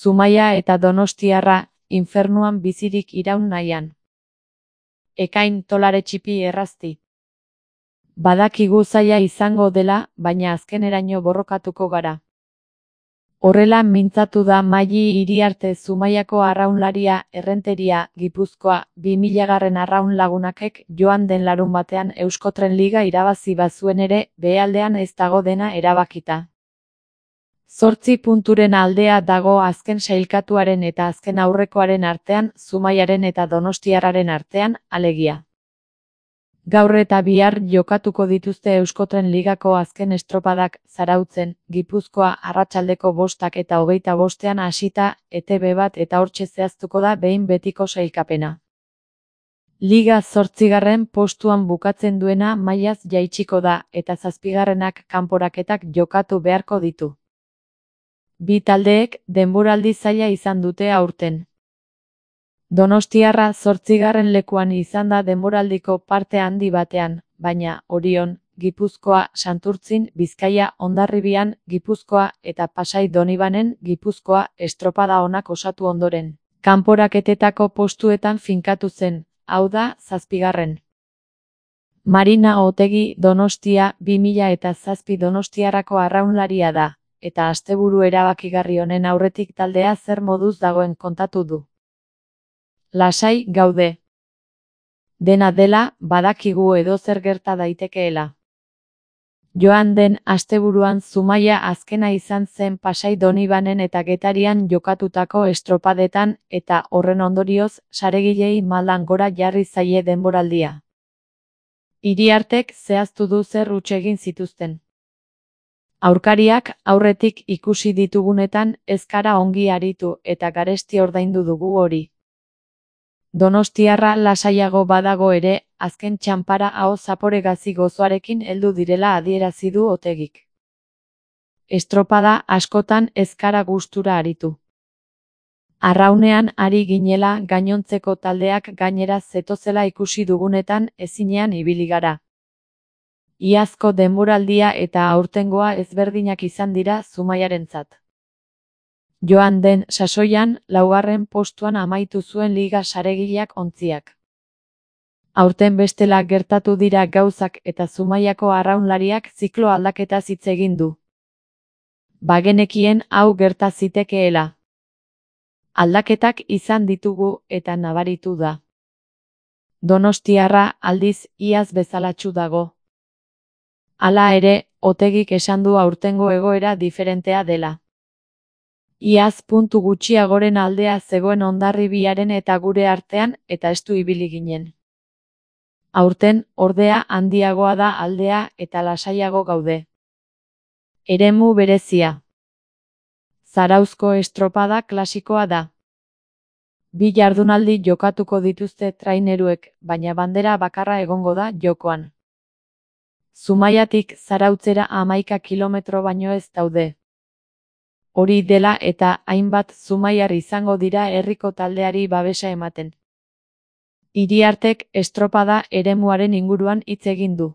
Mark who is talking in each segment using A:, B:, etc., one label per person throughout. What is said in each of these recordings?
A: Zumaia eta Donostiarra, infernuan bizirik iraun nahian. Ekain tolare txipi errazti. Badakigu zaila izango dela, baina azkeneraino borrokatuko gara. Horrela mintzatu da Maili Iriarte Zumaiako arraunlaria, Errenteria, Gipuzkoa, 2000 arraun lagunakek joan den larunbatean Euskotren Liga irabazi bazuen ere, behealdean ez dago dena erabakita. 8 punturen aldea dago azken sailkatuaren eta azken aurrekoaren artean, Zumaiaren eta Donostiarraren artean, alegia. Gaur eta bihar jokatuko dituzte Euskotren Ligako azken estropadak, Zarautzen, Gipuzkoa, arratsaldeko 5 eta 25 hasita, ETB bat eta hortxe zehaztuko da behin betiko sailkapena. Liga 8. postuan bukatzen duena mailaz jaitsiko da, eta 7. kanporaketak jokatu beharko ditu. Bi taldeek denboraldi zaila izan dute aurten. Donostiarra 8. lekuan izan da denboraldiko parte handi batean, baina Orion, Gipuzkoa, Santurtzin, Bizkaia, Hondarribian, Gipuzkoa eta Pasai Donibanen, Gipuzkoa, estropada onak osatu ondoren. Kanporaketetako postuetan finkatu zen, hau da, 7. Marina Otegi Donostia 2007 Donostiarrako arraunlaria da, eta asteburu erabakigarri honen aurretik taldea zer moduz dagoen kontatu du. Lasai gaude. Dena dela, badakigu edozer gerta daitekeela. Joan den asteburuan Zumaia azkena izan zen Pasai Donibanen eta Getarian jokatutako estropadetan, eta horren ondorioz, saregilei maldan gora jarri zaie denboraldia. Iriartek zehaztu du zer huts egin zituzten. Aurkariak aurretik ikusi ditugunetan ez gara ongi aritu eta garesti ordaindu dugu hori. Donostiarra lasaiago badago ere, azken txanpara aho zaporegazi gozoarekin heldu direla adierazi du Otegik. Estropada askotan ez gara gustura aritu. Arraunean ari ginela gainontzeko taldeak gainera zetozela ikusi dugunetan ezinean ibili gara. Iazko denboraldia eta aurtengoa ezberdinak izan dira Zumaiarentzat. Joan den sasoian, 4. postuan amaitu zuen liga saregileak ontziak. Aurten bestela gertatu dira gauzak eta Zumaiako arraunlariak ziklo aldaketa hitz egin du. Bagenekien hau gerta zitekeela. Aldaketak izan ditugu eta nabaritu da. Donostiarra aldiz iaz bezalatsu dago. Hala ere, Otegik esan du aurtengo egoera diferentea dela. Iaz puntu gutxiagoren aldea zegoen Hondarribiaren eta gure artean, eta estu ibili ginen. Aurten, ordea handiagoa da aldea eta lasaiago gaude. Eremu berezia. Zarauzko estropada klasikoa da. 2 jardunaldi jokatuko dituzte traineruek, baina bandera bakarra egongo da jokoan. Zumaiatik Zarautzera 11 kilometro baino ez daude. Hori dela eta hainbat zumaiar izango dira herriko taldeari babesa ematen. Iriartek estropada eremuaren inguruan hitz egin du.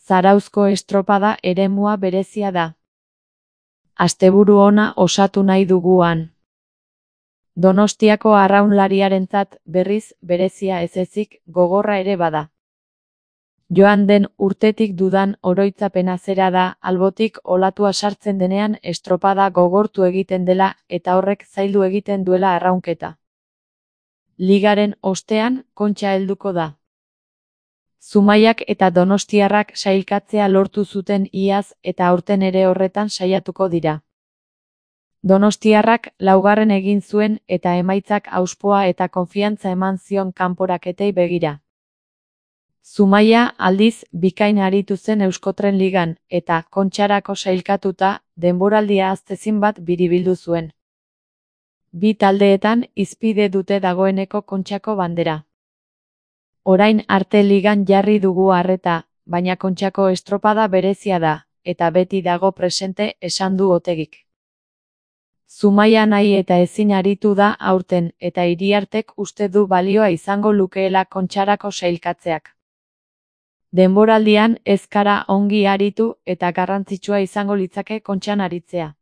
A: Zarauzko estropada eremua berezia da. Asteburu ona osatu nahi duguan. Donostiako arraunlariarentzat berriz berezia ez ezik gogorra ere bada. Joan den urtetik dudan oroitzapena zera da, albotik olatua sartzen denean estropada gogortu egiten dela eta horrek zaildu egiten duela arraunketa. Ligaren ostean, kontxa helduko da. Zumaiak eta Donostiarrak sailkatzea lortu zuten iaz eta aurten ere horretan saiatuko dira. Donostiarrak 4. egin zuen eta emaitzak auspoa eta konfiantza eman zion kanporaketei begira. Zumaia aldiz bikain aritu zen Euskotren Ligan, eta kontxarako sailkatuta, denboraldia aztezin bat biribildu zuen. Bi taldeetan hizpide dute dagoeneko kontxako bandera. Orain arte ligan jarri dugu arreta, baina kontxako estropada berezia da, eta beti dago presente esan du Otegik. Zumaia nahi eta ezin aritu da aurten, eta Iriartek uste du balioa izango lukeela kontxarako sailkatzeak. Denboraldian ez gara ongi aritu eta garrantzitsua izango litzake kontxan aritzea.